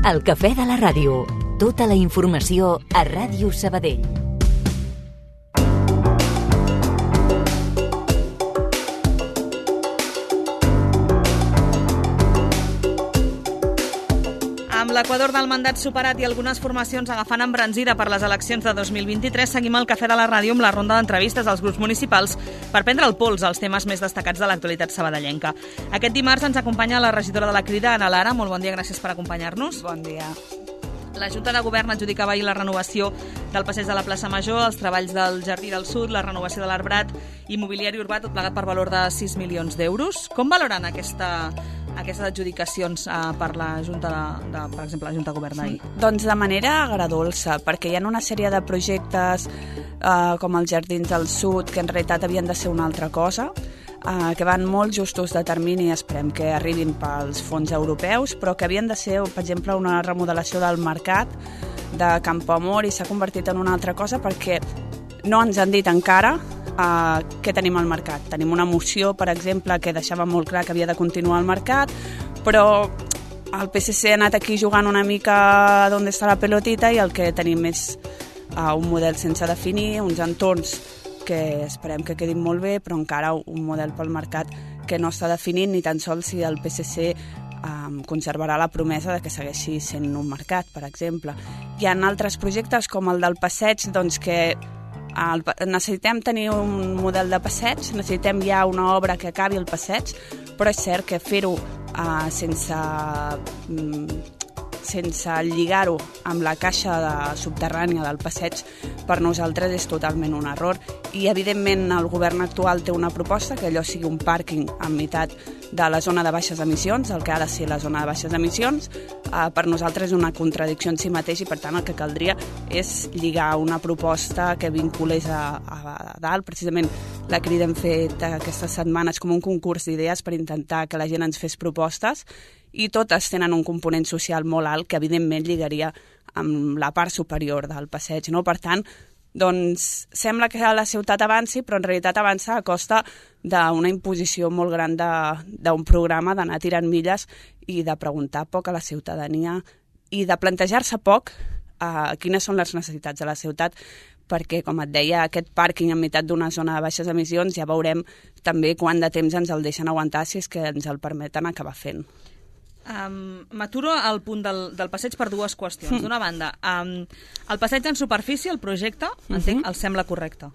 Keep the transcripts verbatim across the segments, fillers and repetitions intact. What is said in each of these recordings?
El cafè de la ràdio. Tota la informació a Ràdio Sabadell. Amb l'equador del mandat superat i algunes formacions agafant embranzida per les eleccions de dos mil vint-i-tres, seguim el cafè de la ràdio amb la ronda d'entrevistes als grups municipals per prendre el pols als temes més destacats de l'actualitat sabadellenca. Aquest dimarts ens acompanya la regidora de la Crida, Ana Lara. Molt bon dia, gràcies per acompanyar-nos. Bon dia. La Junta de Govern adjudicava ahir la renovació del passeig de la plaça Major, els treballs del Jardí del Sud, la renovació de l'Arbrat i mobiliari urbà, tot plegat per valor de sis milions d'euros. Com valoren aquesta... aquestes adjudicacions eh, per la Junta de, de, per exemple, la Junta de Govern d'ahir? Doncs de manera agradolça, perquè hi ha una sèrie de projectes eh, com els Jardins del Sud, que en realitat havien de ser una altra cosa, eh, que van molt justos de termini, esperem que arribin pels fons europeus, però que havien de ser, per exemple, una remodelació del mercat de Campoamor i s'ha convertit en una altra cosa perquè no ens han dit encara Uh, què tenim al mercat. Tenim una moció, per exemple, que deixava molt clar que havia de continuar al mercat, però el P S C ha anat aquí jugant una mica d'on està la pelotita i el que tenim és uh, un model sense definir, uns entorns que esperem que quedin molt bé, però encara un model pel mercat que no està definint ni tan sols si el P S C um, conservarà la promesa de que segueixi sent un mercat, per exemple. Hi ha altres projectes com el del passeig, doncs que El, necessitem tenir un model de passeig, necessitem ja una obra que acabi el passeig, però és cert que fer-ho uh, sense, um, sense lligar-ho amb la caixa de subterrània del passeig per nosaltres és totalment un error. I evidentment el govern actual té una proposta que allò sigui un pàrquing en meitat de la zona de baixes emissions, el que ha de ser la zona de baixes emissions. Uh, per nosaltres és una contradicció en si mateix i per tant el que caldria és lligar una proposta que vinculés a, a, a dalt. Precisament la Crida hem fet aquestes setmanes com un concurs d'idees per intentar que la gent ens fes propostes i totes tenen un component social molt alt que evidentment lligaria amb la part superior del passeig, no? Per tant, doncs sembla que la ciutat avanci, però en realitat avança a costa d'una imposició molt gran d'un programa d'anar tirant milles i de preguntar poc a la ciutadania i de plantejar-se poc a quines són les necessitats de la ciutat, perquè, com et deia, aquest pàrquing en meitat d'una zona de baixes emissions ja veurem també quant de temps ens el deixen aguantar si és que ens el permeten acabar fent. Um, M'aturo al punt del, del passeig per dues qüestions. D'una banda, um, el passeig en superfície, el projecte, entenc, uh-huh. el sembla correcte?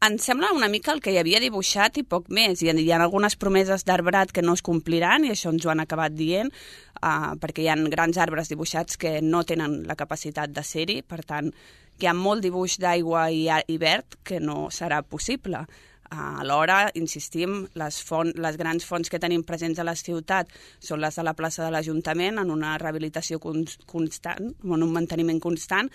Ens sembla una mica el que hi havia dibuixat i poc més. Hi ha, hi ha algunes promeses d'arbrat que no es compliran i això ens ho han acabat dient, uh, perquè hi ha grans arbres dibuixats que no tenen la capacitat de ser-hi, per tant, hi ha molt dibuix d'aigua i, i verd que no serà possible. Alhora, insistim, les, font, les grans fonts que tenim presents a la ciutat són les de la plaça de l'Ajuntament, en una rehabilitació constant, en un manteniment constant,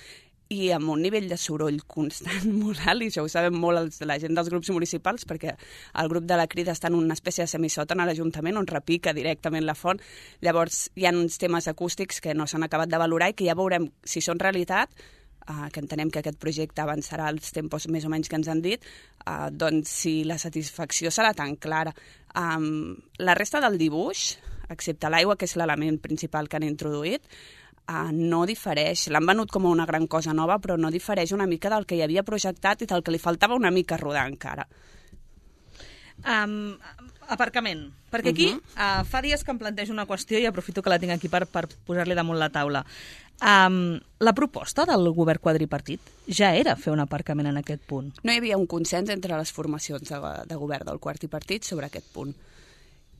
i amb un nivell de soroll constant molt alt, i això ho sabem molt els, la gent dels grups municipals, perquè el grup de la Crida està en una espècie de semissòtan a l'Ajuntament on repica directament la font. Llavors hi ha uns temes acústics que no s'han acabat de valorar i que ja veurem si són realitat, Uh, que entenem que aquest projecte avançarà als tempos més o menys que ens han dit, uh, doncs si la satisfacció serà tan clara. Um, la resta del dibuix, excepte l'aigua, que és l'element principal que han introduït, uh, no difereix. L'han venut com una gran cosa nova, però no difereix una mica del que hi havia projectat i del que li faltava una mica rodar encara. Um, aparcament, perquè aquí uh-huh. uh, fa dies que em plantejo una qüestió i aprofito que la tinc aquí per, per posar-li damunt la taula. Um, la proposta del govern quadripartit ja era fer un aparcament en aquest punt. No hi havia un consens entre les formacions de, de govern del quadripartit sobre aquest punt.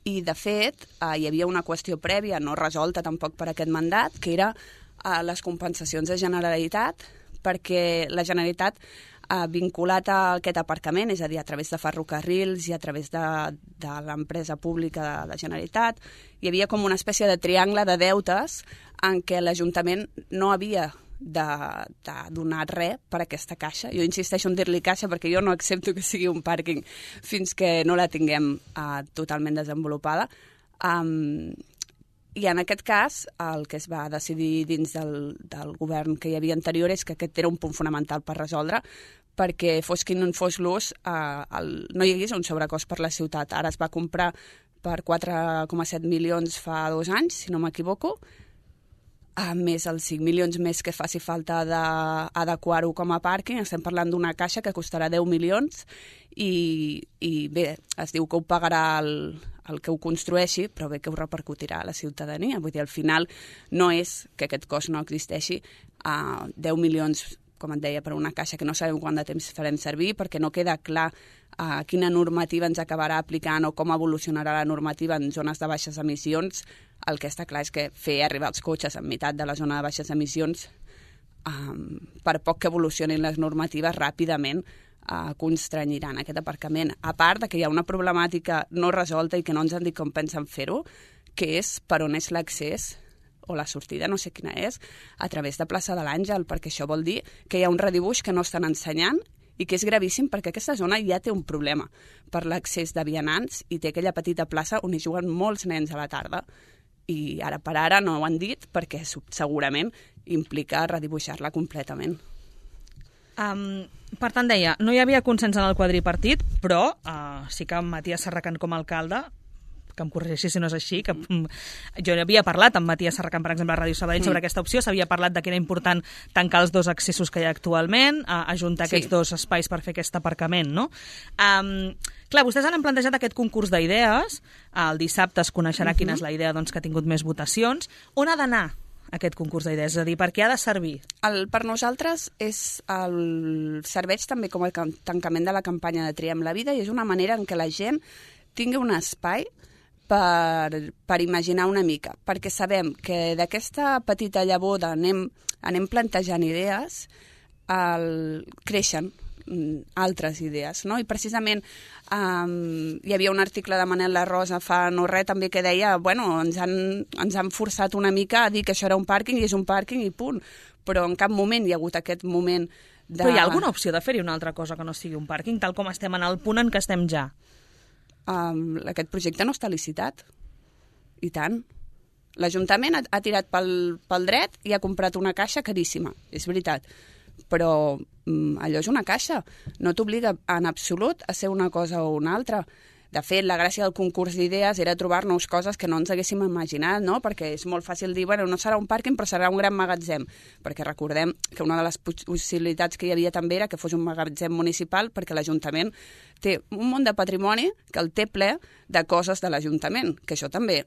I, de fet, uh, hi havia una qüestió prèvia, no resolta tampoc per aquest mandat, que era uh, les compensacions de Generalitat, perquè la Generalitat Uh, vinculat a aquest aparcament, és a dir, a través de ferrocarrils i a través de, de l'empresa pública de la Generalitat, hi havia com una espècie de triangle de deutes en què l'Ajuntament no havia de, de donar res per aquesta caixa. Jo insisteixo en dir-li caixa perquè jo no accepto que sigui un pàrquing fins que no la tinguem uh, totalment desenvolupada. Um, I en aquest cas, el que es va decidir dins del, del govern que hi havia anterior és que aquest era un punt fonamental per resoldre, perquè fos quin fos l'ús, eh, el, no hi hagués un sobrecost per la ciutat. Ara es va comprar per quatre coma set milions fa dos anys, si no m'equivoco, a més els cinc milions més que faci falta d'adequar-ho com a pàrquing. Estem parlant d'una caixa que costarà deu milions i, i bé, es diu que ho pagarà el, el que ho construeixi, però bé que ho repercutirà a la ciutadania. Vull dir, al final no és que aquest cost no existeixi, a deu milions, com et deia, per una caixa que no sabem quant de temps farem servir, perquè no queda clar uh, quina normativa ens acabarà aplicant o com evolucionarà la normativa en zones de baixes emissions. El que està clar és que fer arribar els cotxes en meitat de la zona de baixes emissions, um, per poc que evolucionin les normatives, ràpidament uh, constrenyiran aquest aparcament. A part de que hi ha una problemàtica no resolta i que no ens han dit com pensen fer-ho, que és per on és l'accés o la sortida, no sé quina és, a través de plaça de l'Àngel, perquè això vol dir que hi ha un redibuix que no estan ensenyant i que és gravíssim perquè aquesta zona ja té un problema per l'accés de vianants i té aquella petita plaça on hi juguen molts nens a la tarda. I ara per ara no ho han dit perquè segurament implica redibuixar-la completament. Um, per tant, deia, no hi havia consens en el quadripartit, però uh, sí que Matías Serracant com a alcalde, que em corregeixi si no és així, que mm, jo havia parlat amb Matías Serracant, per exemple, a Ràdio Sabadell mm. sobre aquesta opció, s'havia parlat de que era important tancar els dos accessos que hi ha actualment, a ajuntar sí. aquests dos espais per fer aquest aparcament, no? Um, clar, vostès han plantejat aquest concurs d'idees, el dissabte es coneixerà mm-hmm. quina és la idea doncs, que ha tingut més votacions. On ha d'anar aquest concurs d'idees? És a dir, per què ha de servir? El, per nosaltres és el serveix també com a tancament de la campanya de Triem la Vida i és una manera en què la gent tingui un espai Per, per imaginar una mica, perquè sabem que d'aquesta petita llavor anem, anem plantejant idees, el, creixen altres idees, no? I precisament um, hi havia un article de Manel La Rosa fa no res també que deia, bueno, ens han, ens han forçat una mica a dir que això era un pàrquing i és un pàrquing i punt, però en cap moment hi ha hagut aquest moment de... Però hi ha alguna opció de fer-hi una altra cosa que no sigui un pàrquing, tal com estem en el punt en què estem ja? Um, aquest projecte no està licitat. I tant. L'Ajuntament ha, ha tirat pel, pel dret i ha comprat una caixa caríssima, és veritat. Però um, allò és una caixa. No t'obliga en absolut a ser una cosa o una altra. De fet, la gràcia del concurs d'idees era trobar-nos coses que no ens haguéssim imaginat, no? Perquè és molt fàcil dir, bueno, no serà un pàrquing, però serà un gran magatzem. Perquè recordem que una de les possibilitats que hi havia també era que fos un magatzem municipal, perquè l'Ajuntament té un munt de patrimoni que el té ple de coses de l'Ajuntament, que això també...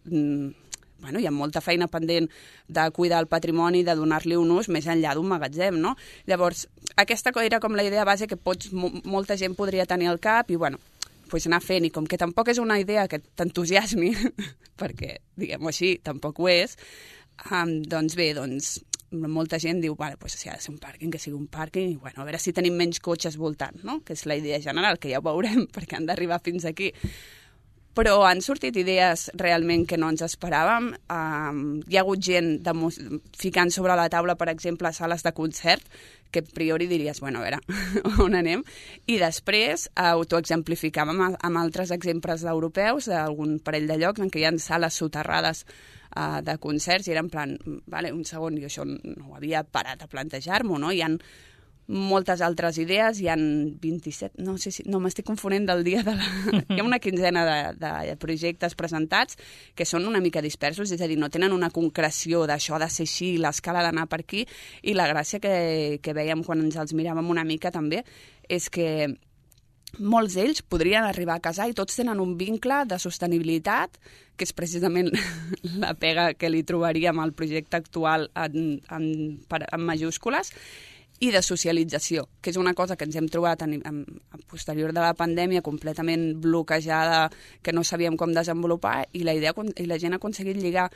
Mm, bueno, hi ha molta feina pendent de cuidar el patrimoni, de donar-li un ús més enllà d'un magatzem, no? Llavors, aquesta era com la idea base que pots, molta gent podria tenir al cap i, bueno, pues anar fent, i com que tampoc és una idea que t'entusiasmi, perquè, diguem-ho així, tampoc ho és, um, doncs bé, doncs molta gent diu, vale, pues si ha de ser un pàrquing, que sigui un pàrquing, i bueno, a veure si tenim menys cotxes voltant, no? Que és la idea general, que ja ho veurem, perquè han d'arribar fins aquí. Però han sortit idees realment que no ens esperàvem. Um, hi ha hagut gent de, ficant sobre la taula, per exemple, sales de concert, que a priori diries, bueno, a veure, on anem? I després uh, t'ho exemplificàvem amb, amb altres exemples europeus, d'algun parell de llocs en què hi ha sales soterrades uh, de concerts, i era en plan, vale, un segon, jo això no ho havia parat a plantejar-m'ho, no? Hi ha moltes altres idees, hi ha vint-i-set, no sé si, no m'estic confonent del dia de la... Hi ha una quinzena de, de projectes presentats que són una mica dispersos, és a dir, no tenen una concreció d'això de ser així, l'escala d'anar per aquí, i la gràcia que, que vèiem quan ens els miràvem una mica també és que molts d'ells podrien arribar a casar i tots tenen un vincle de sostenibilitat, que és precisament la pega que li trobaríem al projecte actual en, en, en majúscules, i de socialització, que és una cosa que ens hem trobat en, en, en posterior de la pandèmia completament bloquejada, que no sabíem com desenvolupar, i la, idea, i la gent ha aconseguit lligar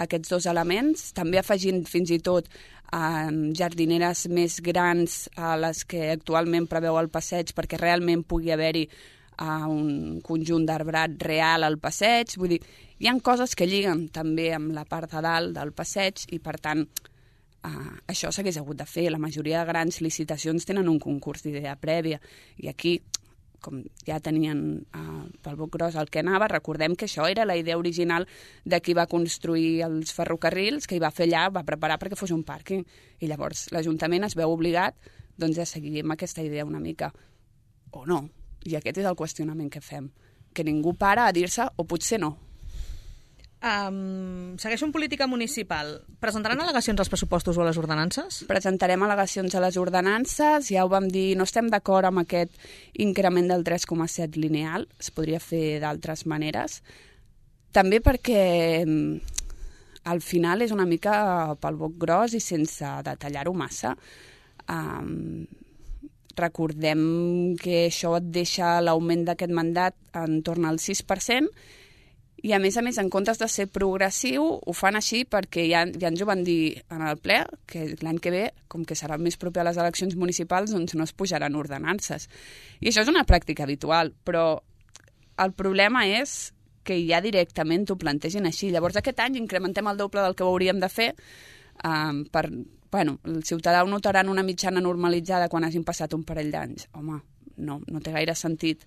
aquests dos elements, també afegint fins i tot eh, jardineres més grans a les que actualment preveu el passeig, perquè realment pugui haver-hi eh, un conjunt d'arbrat real al passeig. Vull dir, hi ha coses que lliguen també amb la part de dalt del passeig i, per tant, Uh, això s'hagués hagut de fer. La majoria de grans licitacions tenen un concurs d'idea prèvia i aquí, com ja tenien uh, pel boc gros el que anava, recordem que això era la idea original de qui va construir els ferrocarrils, que hi va fer allà, va preparar perquè fos un pàrquing, i llavors l'Ajuntament es veu obligat doncs, a seguir amb aquesta idea una mica, o no, i aquest és el qüestionament que fem, que ningú para a dir-se o potser no. Um, segueixo en política municipal. Presentaran al·legacions als pressupostos o a les ordenances? Presentarem al·legacions a les ordenances, ja ho vam dir, no estem d'acord amb aquest increment del tres coma set lineal, es podria fer d'altres maneres, també perquè al final és una mica pel boc gros i sense detallar-ho massa. Um, recordem que això et deixa l'augment d'aquest mandat en torn al sis per cent, i a més a més, en comptes de ser progressiu, ho fan així perquè ja, ja ens ho van dir en el ple, que l'any que ve, com que serà més proper a les eleccions municipals, doncs no es pujaran ordenances. I això és una pràctica habitual, però el problema és que ja directament t'ho plantegin així. Llavors aquest any incrementem el doble del que ho hauríem de fer um, per... Bueno, el ciutadà ho notarà en una mitjana normalitzada quan hagin passat un parell d'anys. Home, no, no té gaire sentit.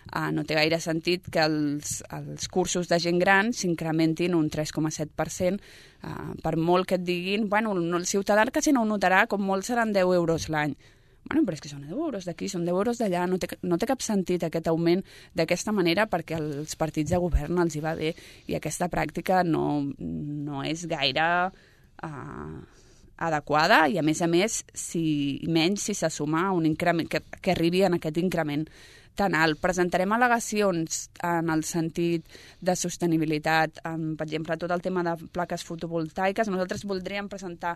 Uh, no té gaire sentit que els, els cursos de gent gran s'incrementin un tres coma set per cent, uh, per molt que et diguin, bueno, el ciutadà quasi no ho notarà, com molt seran deu euros l'any. Bueno, però és que són deu euros d'aquí, són deu euros d'allà, no té, no té cap sentit aquest augment d'aquesta manera perquè als partits de govern els hi va bé i aquesta pràctica no, no és gaire uh, adequada i a més a més, si, menys si se suma un increment, que, que arribi en aquest increment tan alt. Presentarem al·legacions en el sentit de sostenibilitat, en, per exemple, tot el tema de plaques fotovoltaiques. Nosaltres voldríem presentar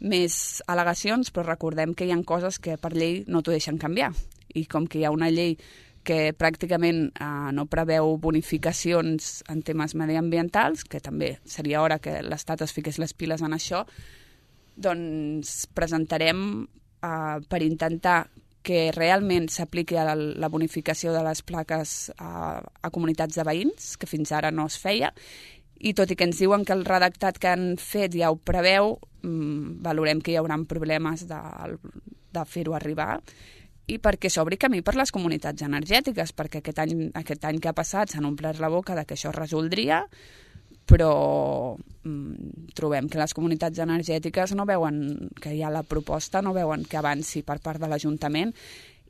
més al·legacions, però recordem que hi ha coses que per llei no t'ho deixen canviar. I com que hi ha una llei que pràcticament eh, no preveu bonificacions en temes mediambientals, que també seria hora que l'Estat es fiqués les piles en això, doncs presentarem eh, per intentar que realment s'apliqui a la, la bonificació de les plaques a, a comunitats de veïns, que fins ara no es feia, i tot i que ens diuen que el redactat que han fet ja ho preveu, mmm, valorem que hi haurà problemes de, de fer-ho arribar, i perquè s'obri camí per les comunitats energètiques, perquè aquest any, aquest any que ha passat s'han omplert la boca de que això es resoldria, però mm, trobem que les comunitats energètiques no veuen que hi ha la proposta, no veuen que avanci per part de l'Ajuntament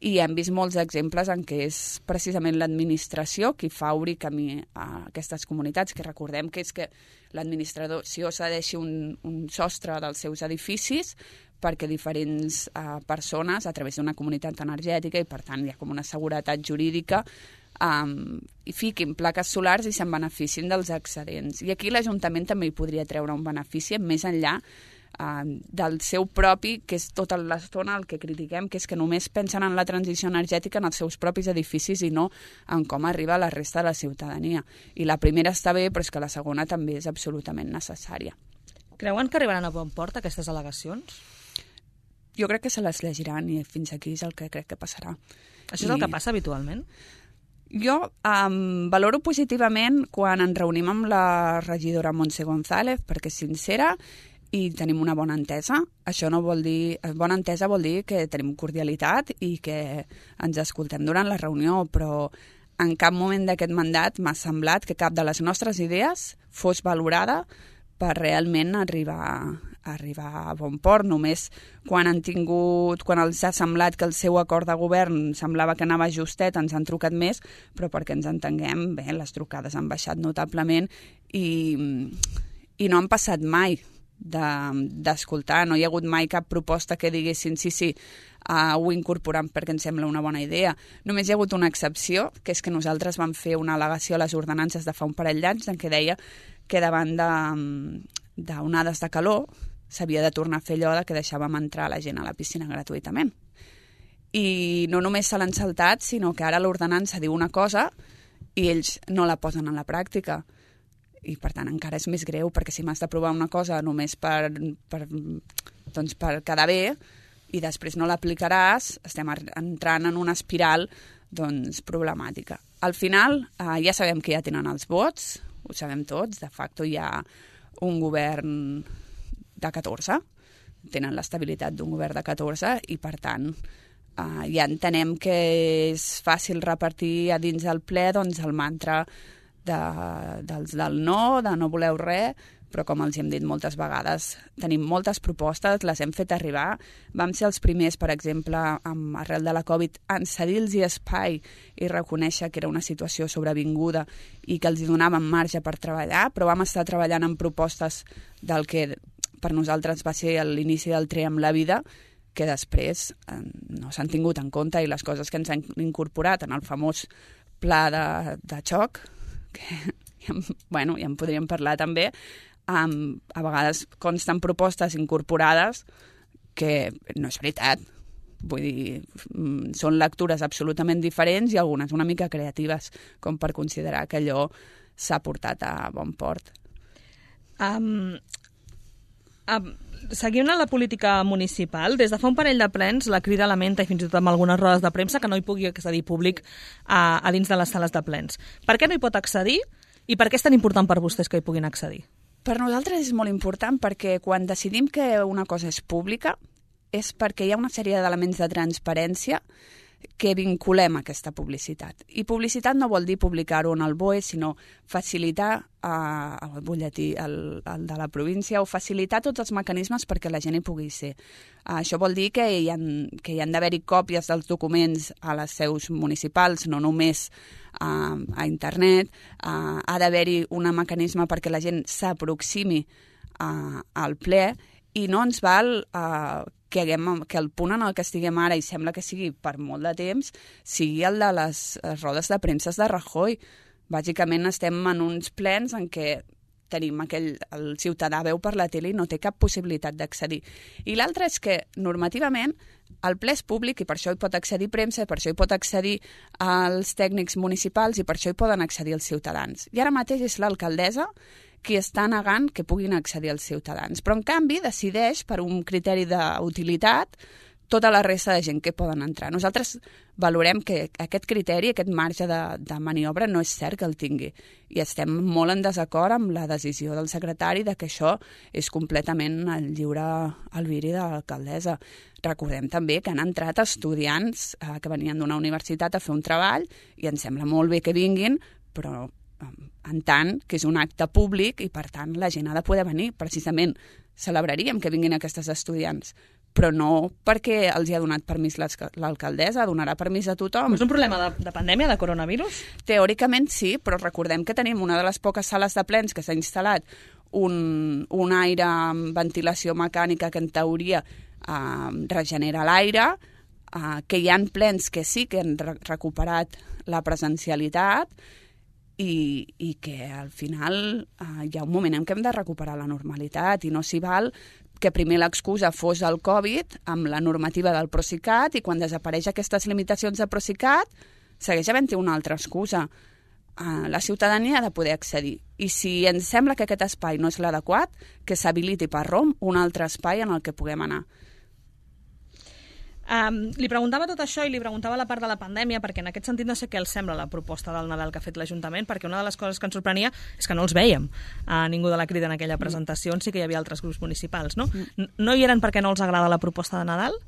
i hem vist molts exemples en què és precisament l'administració qui fa obrir camí a aquestes comunitats, que recordem que és que l'administració cedeixi un, un sostre dels seus edificis perquè diferents eh, persones, a través d'una comunitat energètica, i per tant hi ha com una seguretat jurídica, Um, i fiquin plaques solars i se'n beneficien dels excedents. I aquí l'Ajuntament també hi podria treure un benefici més enllà uh, del seu propi, que és tota l'estona el que critiquem, que és que només pensen en la transició energètica en els seus propis edificis i no en com arriba a la resta de la ciutadania. I la primera està bé, però és que la segona també és absolutament necessària. Creuen que arribaran a bon port aquestes al·legacions? Jo crec que se les llegiran i fins aquí és el que crec que passarà. Això és I... el que passa habitualment? Jo um, valoro positivament quan ens reunim amb la regidora Montse González, perquè és sincera i tenim una bona entesa. Això no vol dir... Bona entesa vol dir que tenim cordialitat i que ens escoltem durant la reunió, però en cap moment d'aquest mandat m'ha semblat que cap de les nostres idees fos valorada per realment arribar, arribar a bon port. Només quan han tingut, quan els ha semblat que el seu acord de govern semblava que anava justet, ens han trucat més, però perquè ens entenguem, bé, les trucades han baixat notablement i, i no han passat mai d'escoltar, de, no hi ha hagut mai cap proposta que diguessin sí, sí, uh, ho incorporem perquè ens sembla una bona idea. Només hi ha hagut una excepció, que és que nosaltres vam fer una al·legació a les ordenances de fa un parell d'anys en què deia que davant d'onades de, de calor s'havia de tornar a fer allò que deixàvem entrar la gent a la piscina gratuïtament. I no només se l'han saltat, sinó que ara l'ordenança diu una cosa i ells no la posen en la pràctica. I, per tant, encara és més greu, perquè si m'has d'aprovar una cosa només per, per, doncs per quedar bé i després no l'aplicaràs, estem entrant en una espiral doncs, problemàtica. Al final, eh, ja sabem que ja tenen els vots, ho sabem tots, de facto hi ha un govern de catorze, tenen l'estabilitat d'un govern de catorze i, per tant, eh, ja entenem que és fàcil repartir a dins del ple doncs, el mantra de, dels del no, de no voleu res, però com els hem dit moltes vegades, tenim moltes propostes, les hem fet arribar. Vam ser els primers, per exemple, amb, arrel de la Covid, en cedir-los espai i reconèixer que era una situació sobrevinguda i que els donàvem marge per treballar, però vam estar treballant en propostes del que per nosaltres va ser l'inici del Tre amb la vida, que després eh, no s'han tingut en compte, i les coses que ens han incorporat en el famós pla de, de xoc, que ja, bueno, ja en podríem parlar també, Um, a vegades consten propostes incorporades que no és veritat. Vull dir, mm, són lectures absolutament diferents i algunes una mica creatives, com per considerar que allò s'ha portat a bon port. Um, um, seguint la política municipal, des de fa un parell de plens, la Crida lamenta, i fins i tot amb algunes rodes de premsa, que no hi pugui accedir públic a, a dins de les sales de plens. Per què no hi pot accedir i per què és tan important per vostès que hi puguin accedir? Per nosaltres és molt important perquè quan decidim que una cosa és pública és perquè hi ha una sèrie d'elements de transparència que vinculem a aquesta publicitat. I publicitat no vol dir publicar-ho en el B O E, sinó facilitar eh, el butlletí el, el de la província o facilitar tots els mecanismes perquè la gent hi pugui ser. Uh, això vol dir que hi han, que hi han d'haver-hi còpies dels documents a les seus municipals, no només uh, a internet. Uh, ha d'haver-hi un mecanisme perquè la gent s'aproximi uh, al ple i no ens val uh, que, haguem, que el punt en el que estiguem ara, i sembla que sigui per molt de temps, sigui el de les rodes de premsa de Rajoy. Bàsicament estem en uns plens en què tenim aquell, el ciutadà veu per la tele i no té cap possibilitat d'accedir. I l'altre és que, normativament, el ple és públic i per això hi pot accedir premsa, per això hi pot accedir els tècnics municipals i per això hi poden accedir els ciutadans. I ara mateix és l'alcaldessa qui està negant que puguin accedir els ciutadans. Però, en canvi, decideix, per un criteri d'utilitat, tota la resta de gent que poden entrar. Nosaltres valorem que aquest criteri, aquest marge de, de maniobra, no és cert que el tingui. I estem molt en desacord amb la decisió del secretari de que això és completament el lliure albiri de l'alcaldessa. Recordem també que han entrat estudiants eh, que venien d'una universitat a fer un treball i ens sembla molt bé que vinguin, però en tant que és un acte públic i per tant la gent ha de poder venir. Precisament celebraríem que vinguin aquestes estudiants, però no perquè els hi ha donat permís l'alcaldessa, donarà permís a tothom. És un problema de, de pandèmia, de coronavirus? Teòricament sí, però recordem que tenim una de les poques sales de plens que s'ha instal·lat un, un aire amb ventilació mecànica que en teoria eh, regenera l'aire, eh, que hi ha plens que sí que han re recuperat la presencialitat, I, i que al final eh, hi ha un moment en què hem de recuperar la normalitat i no s'hi val que primer l'excusa fos el Covid amb la normativa del Procicat i quan desapareix aquestes limitacions de Procicat segueix havent-hi una altra excusa. Eh, la ciutadania ha de poder accedir i si ens sembla que aquest espai no és l'adequat, que s'habiliti per R O M un altre espai en el que puguem anar. Um, li preguntava tot això i li preguntava la part de la pandèmia perquè en aquest sentit no sé què els sembla la proposta del Nadal que ha fet l'Ajuntament, perquè una de les coses que ens sorprenia és que no els vèiem a ningú de la Crida en aquella presentació, on sí que hi havia altres grups municipals, no? No hi eren perquè no els agrada la proposta de Nadal?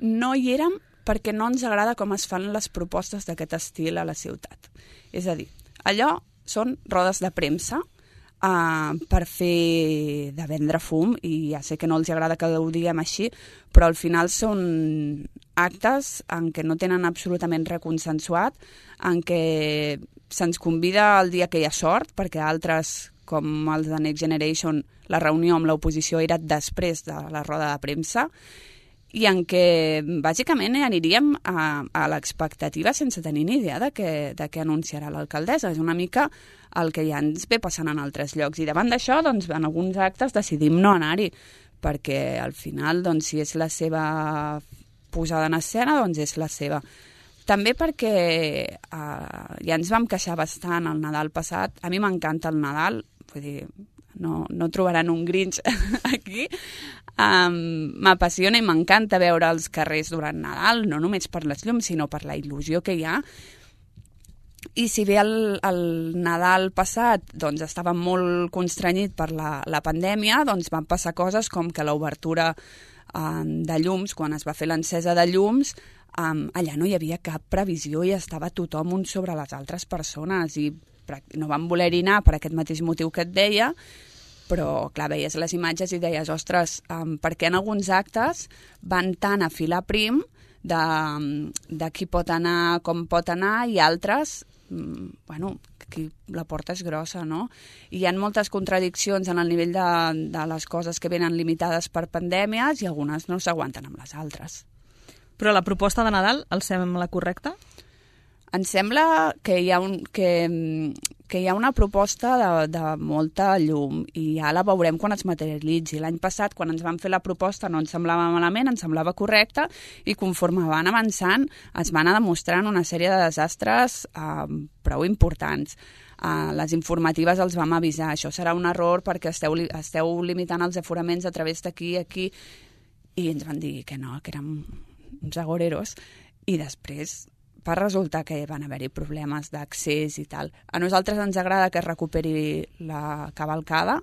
No hi érem perquè no ens agrada com es fan les propostes d'aquest estil a la ciutat. És a dir, allò són rodes de premsa Uh, per fer de vendre fum, i ja sé que no els agrada que ho diguem així, però al final són actes en què no tenen absolutament res consensuat, en què se'ns convida el dia que hi ha sort, perquè altres, com els de Next Generation, la reunió amb l'oposició era després de la roda de premsa, i en què bàsicament aniríem a, a l'expectativa sense tenir ni idea de què, de què anunciarà l'alcaldessa. És una mica el que ja ens ve passant en altres llocs. I davant d'això, doncs, en alguns actes decidim no anar-hi, perquè al final, doncs, si és la seva posada en escena, doncs és la seva. També perquè eh, ja ens vam queixar bastant el Nadal passat. A mi m'encanta el Nadal, vull dir, no, no trobaran un Grinch aquí. Um, m'apassiona i m'encanta veure els carrers durant Nadal, no només per les llums, sinó per la il·lusió que hi ha. I si bé el, el Nadal passat doncs, estava molt constrenyit per la, la pandèmia, doncs van passar coses com que l'obertura um, de llums, quan es va fer l'encesa de llums, um, allà no hi havia cap previsió i estava tothom un sobre les altres persones i no van voler-hi anar per aquest mateix motiu que et deia, però, clar, veies les imatges i deies, ostres, um, per què en alguns actes van tan a filar prim de, de qui pot anar, com pot anar, i altres, um, bueno, aquí la porta és grossa, no? I hi ha moltes contradiccions en el nivell de, de les coses que venen limitades per pandèmies i algunes no s'aguanten amb les altres. Però la proposta de Nadal els sembla correcta? Em sembla que hi ha, un, que, que hi ha una proposta de, de molta llum i ja la veurem quan es materialitzi. L'any passat, quan ens van fer la proposta, no ens semblava malament, ens semblava correcta, i conforme van avançant es van a demostrant una sèrie de desastres eh, prou importants. Uh, les informatives els vam avisar, això serà un error perquè esteu, esteu limitant els aforaments a través d'aquí i aquí, i ens van dir que no, que érem uns agoreros, i després va resultar que van haver-hi problemes d'accés i tal. A nosaltres ens agrada que es recuperi la cavalcada,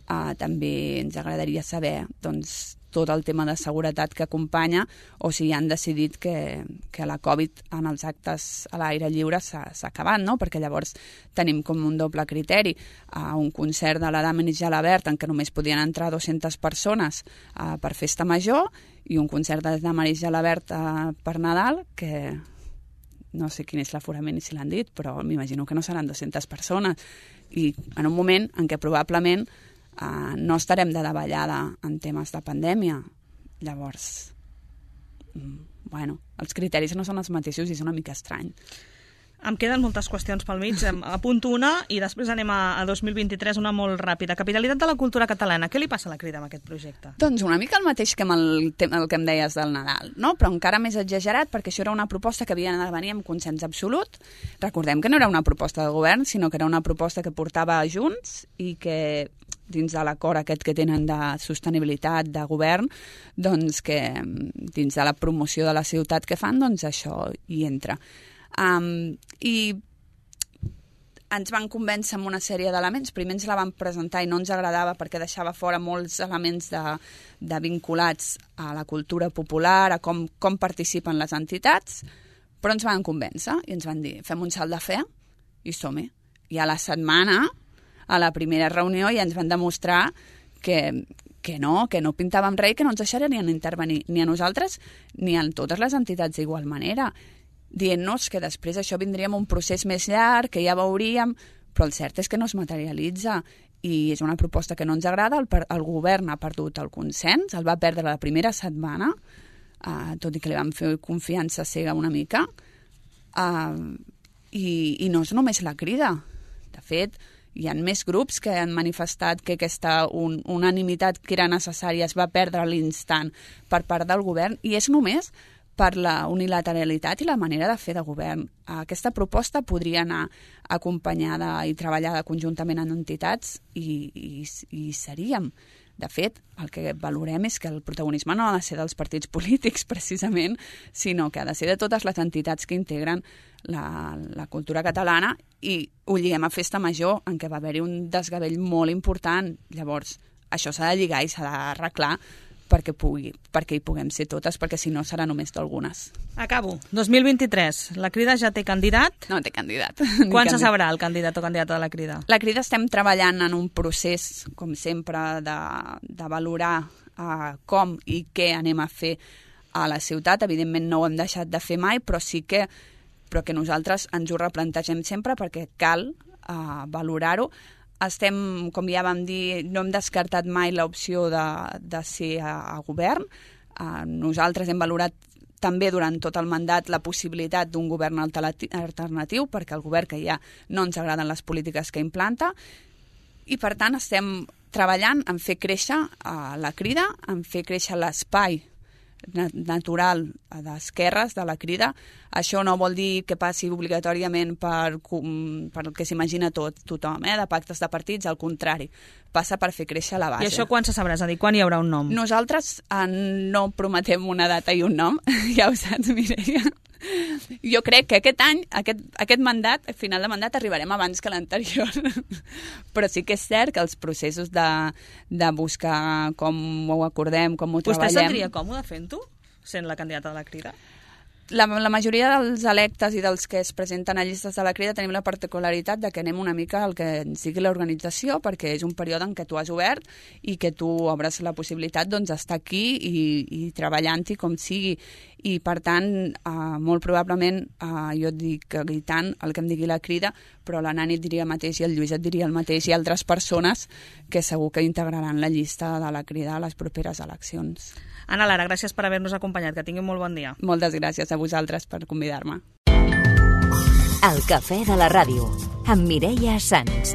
uh, també ens agradaria saber doncs, tot el tema de seguretat que acompanya, o si han decidit que, que la Covid en els actes a l'aire lliure s'ha acabat, no? Perquè llavors tenim com un doble criteri. Uh, un concert de la Dama i Gelabert en què només podien entrar dues-centes persones uh, per festa major, i un concert de la Dama i Gelabert uh, per Nadal, que no sé quin és l'aforament i si l'han dit, però m'imagino que no seran dues-centes persones. I en un moment en què probablement uh, no estarem de davallada en temes de pandèmia. Llavors, bueno, els criteris no són els mateixos i és una mica estrany. Em queden moltes qüestions pel mig. Apunto una i després anem a, a dos mil vint-i-tres, una molt ràpida. Capitalitat de la cultura catalana. Què li passa a la Crida amb aquest projecte? Doncs una mica el mateix que amb el, el que em deies del Nadal, no? Però encara més exagerat, perquè això era una proposta que havia de venir amb consens absolut. Recordem que no era una proposta de govern, sinó que era una proposta que portava a Junts i que dins de l'acord aquest que tenen de sostenibilitat de govern, doncs que dins de la promoció de la ciutat que fan, doncs això hi entra. Um, i ens van convèncer amb una sèrie d'elements. Primer ens la van presentar i no ens agradava perquè deixava fora molts elements de, de vinculats a la cultura popular, a com, com participen les entitats, però ens van convèncer i ens van dir, fem un salt de fe i som-hi. I a la setmana, a la primera reunió, ja ens van demostrar que, que no, que no pintàvem res, que no ens deixarien intervenir ni a nosaltres ni a totes les entitats d'igual manera, dient-nos que després això vindríem un procés més llarg, que ja veuríem, però el cert és que no es materialitza i és una proposta que no ens agrada. El, el govern ha perdut el consens, el va perdre la primera setmana, uh, tot i que li vam fer confiança cega una mica, uh, i, i no és només la Crida. De fet, hi ha més grups que han manifestat que aquesta un, unanimitat que era necessària es va perdre a l'instant per part del govern, i és només per la unilateralitat i la manera de fer de govern. Aquesta proposta podria anar acompanyada i treballada conjuntament en entitats i, i, i seríem. De fet, el que valorem és que el protagonisme no ha de ser dels partits polítics, precisament, sinó que ha de ser de totes les entitats que integren la, la cultura catalana, i ho lliguem a Festa Major, en què va haver-hi un desgavell molt important. Llavors, això s'ha de lligar i s'ha d'arreglar perquè, pugui, perquè hi puguem ser totes, perquè si no serà només d'algunes. Acabo. dos mil vint-i-tres. La Crida ja té candidat? No té candidat. Quan se sabrà el candidat o candidata de la Crida? La Crida estem treballant en un procés, com sempre, de, de valorar uh, com i què anem a fer a la ciutat. Evidentment no ho hem deixat de fer mai, però sí que, però que nosaltres ens ho replantegem sempre perquè cal uh, valorar-ho. Estem, com ja vam dir, no hem descartat mai l'opció de, de ser a, a govern. Uh, nosaltres hem valorat també durant tot el mandat la possibilitat d'un govern alternatiu, perquè el govern que hi ha no ens agraden les polítiques que implanta, i per tant estem treballant en fer créixer uh, la Crida, en fer créixer l'espai natural d'esquerres de la Crida. Això no vol dir que passi obligatòriament per, per el que s'imagina tot, tothom, eh, de pactes de partits, al contrari, passa per fer créixer la base. I això quan se sabrà? És a dir, quan hi haurà un nom? Nosaltres eh, no prometem una data i un nom, ja ho saps, Mireia. Jo crec que aquest any, aquest, aquest mandat, al final de mandat, arribarem abans que l'anterior. Però sí que és cert que els processos de, de buscar com ho acordem, com ho Vostè treballem... Vostè sentiria còmode fent-ho, sent la candidata de la Crida? La, la majoria dels electes i dels que es presenten a llistes de la Crida tenim la particularitat de que anem una mica al que ens digui l'organització, perquè és un període en què tu has obert i que tu obres la possibilitat doncs, d'estar aquí i, i treballant-hi com sigui. I, per tant, eh, molt probablement, eh, jo et dic gritant el que em digui la Crida, però la Nani et diria el mateix i el Lluís et diria el mateix i altres persones que segur que integraran la llista de la Crida a les properes eleccions. Ana Lara, gràcies per haver-nos acompanyat. Que tingui un molt bon dia. Moltes gràcies a vosaltres per convidar-me. El cafè de la ràdio, amb Mireia Sans.